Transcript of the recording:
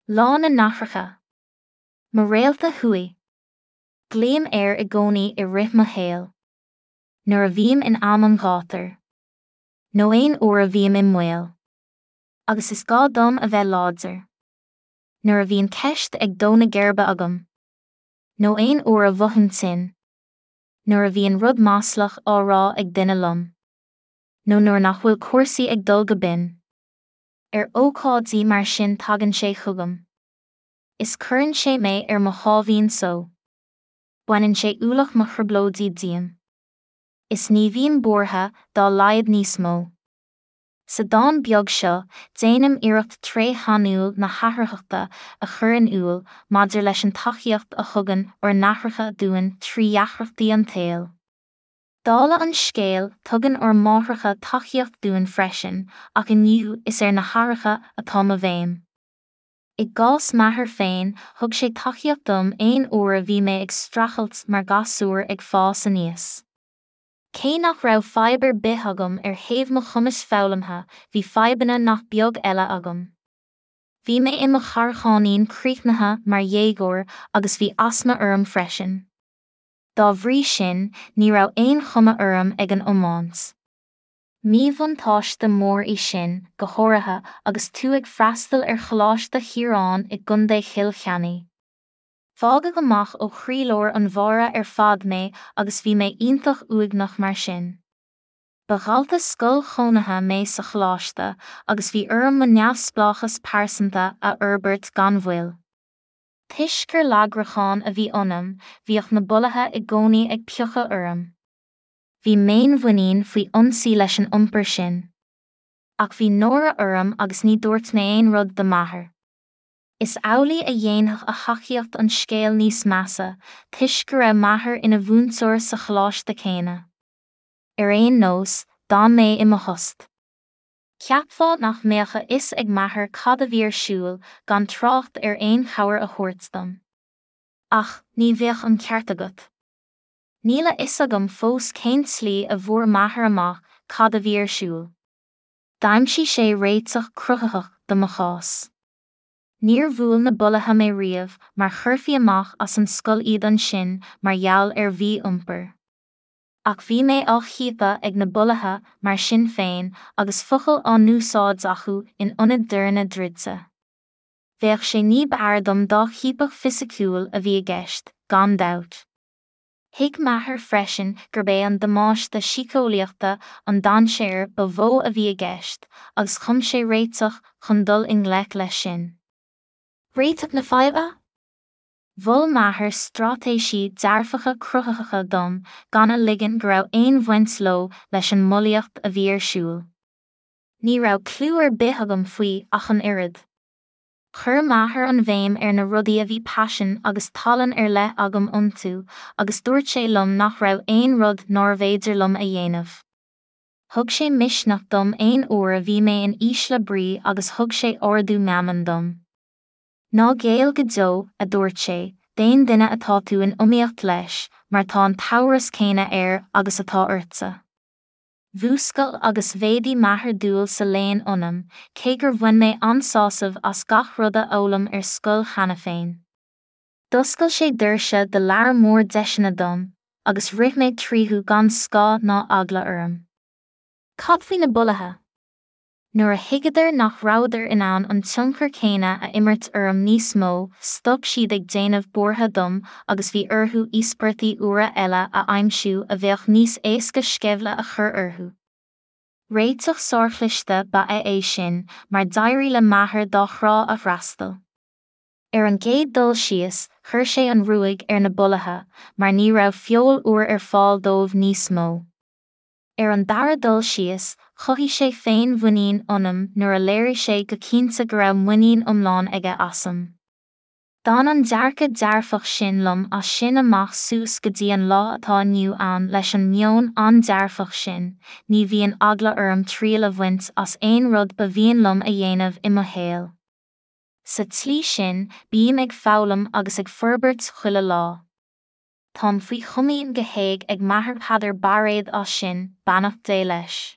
Lá na nAithreacha. Mo réalta thuaidh. Glaoim air i gcónaí i rith mo shaoil. Nuair a bhím in am an ghátair. Nó aon uair a bhím i mbaol. Agus is gá dom a bheith láidir. Nuair a bhíonn ceist ag dó na geirbe agam. Nó aon uair a mhothaím tinn. Nuair a bhíonn rud maslach á rá ag duine liom. Nó nuair nach bhfuil cúrsaí ag dul go binn. Ar ócáidí mar sin tagann sé chugam. Is cuireann sé mé ar mo sháimhín só. Baineann sé ualach mo thrioblóidí díom. Is ní bhím buartha dá laghad níos mó. Sa dán beag seo, déanaim iarracht tréith shainiúil na hatharthachta a chur in iúl maidir leis an tacaíocht a thugann ár n-aithreacha dúinn trí dheacrachtaí an tsaoil. Dála an scéil, tugann ár máithreacha tacaíocht dúinn freisin, ach inniu is ar na haithreacha atá mo bhéim. I gcás m'athar féin, thug sé tacaíocht dom aon uair a bhí mé ag streachailt mar ghasúr ag fás aníos. Cé nach raibh fadhb ar bith agam ar thaobh mo chumais foghlamtha, bhí fadhbanna nach beag eile agam. Bhí mé i mo charrcháinín críochnaithe mar dhéagóir agus bhí asma orm freisin. Dá bhrí sin, ní raibh aon chuma orm ag an iomáint. Míbhuntáiste mór í sin, go háirithe agus tú ag freastal ar Choláiste Chiaráin i gContae Chill Chainnigh. Fágadh amach ó chroílár an bháire ar fad mé agus bhí mé iontach uaigneach mar sin. Ba dhalta scoil chónaithe mé sa choláiste agus bhí orm mo neamhspleáchas pearsanta a fhorbairt gan mhoill. Toisc gur lagrachán a bhí ionam, bhíodh na bulaithe i gcónaí ag piocadh orm. Bhí m'fhéinmhuinín faoi ionsaí leis an iompar sin. Ach bhí náire orm agus ní dúirt mé aon rud do m'athair. Is amhlaidh a dhéanfadh a thacaíocht an scéal níos measa, toisc go raibh m'athair ina mhúinteoir sa choláiste céanna. Ar aon nós, d'fhan mé i mo thost. Cheapfá nach mbeadh a fhios ag m'athair cad a bhí ar siúl, gan trácht ar aon chabhair a thabhairt dom. Ach, ní bheadh an ceart agat. Níl a fhios agam fós cén tslí a bhfuair m'athair amach cad a bhí ar siúl. D'aimsigh sé réiteach cruthaitheach do mo chás. Níor bhuail na bulaithe mé riamh mar chuirfí amach as an scoil iad ansin mar gheall ar mhí-iompar. Ach bhí mé á chiapadh ag na bulaithe mar sin féin agus focail á n-úsáid acu in ionad doirne druidte. Bheadh sé ní b'fhearr dom dá chiapadh fisiciúil a bhí i gceist, gan dabht. Thuig m'athair freisin gurb é an damáiste síceolaíochta an dainséar ba mhó a bhí i gceist agus chum sé réiteach chun dul i ngleic leis sin. Réiteach na faidhbe? Mhol m'athair straitéisí dearfacha cruthaitheacha dom gan a ligean go raibh aon bhaint leo leis an mbulaíocht a bhí ar siúl. Ní raibh cliú ar bith agam faoi ach an oiread. Chuir m'athair an bhéim ar na rudaí a bhí paisean agus tallann ar leith agam iontu agus dúirt sé liom nach raibh aon rud nárbh fhéidir liom a dhéanamh. Thug sé misneach dom aon uair a bhí mé in ísle brí agus thug sé ardú meanman dom. Ná géill go deo, a dúirt sé, d'aon duine atá tú in iomaíocht leis, mar tá an t-amhras céanna air agus atá ortsa. Mhúscail agus mhéadaigh m'athair dúil sa léann ionam, cé gur bhain mé an-sásamh as gach rud a fhoghlaim ar scoil cheana féin. D'oscail sé doirse do lear mór deiseanna dom, agus rith mé tríothu gan scáth ná eagla orm. Cad faoi na bulaithe? Nuair a thuigeadar nach rabhadar in ann an tionchar céanna a imirt orm níos mó, stop siad ag déanamh buartha dom agus bhí orthu íospartaigh úra eile a aimsiú a bheadh níos éasca sceimhle a chur orthu. Réiteach sárchliste ba ea é sin mar d'éirigh le m'athair dá thrá a fhreastal. Ar an gcéad dul síos, chuir sé an ruaig ar na bulaithe mar ní raibh feoil úr ar fáil dóibh níos mó. Ar an dara dul síos, chothaigh sé féinmhuinín ionam nuair a léirigh sé go cinnte go raibh muinín iomlán aige asam. D'fhan an dearcadh dearfach sin liom as sin amach suas go dtí an lá atá inniu ann leis an meon an-dearfach sin, ní bhíonn eagla orm triail a bhaint as aon rud ba mhian liom a dhéanamh i mo shaol. Sa tslí sin, bím ag foghlaim agus ag forbairt chuile lá. Táim faoi chomaoin go héag ag m'athair Peadar Bairéad as sin, beannacht Dé leis.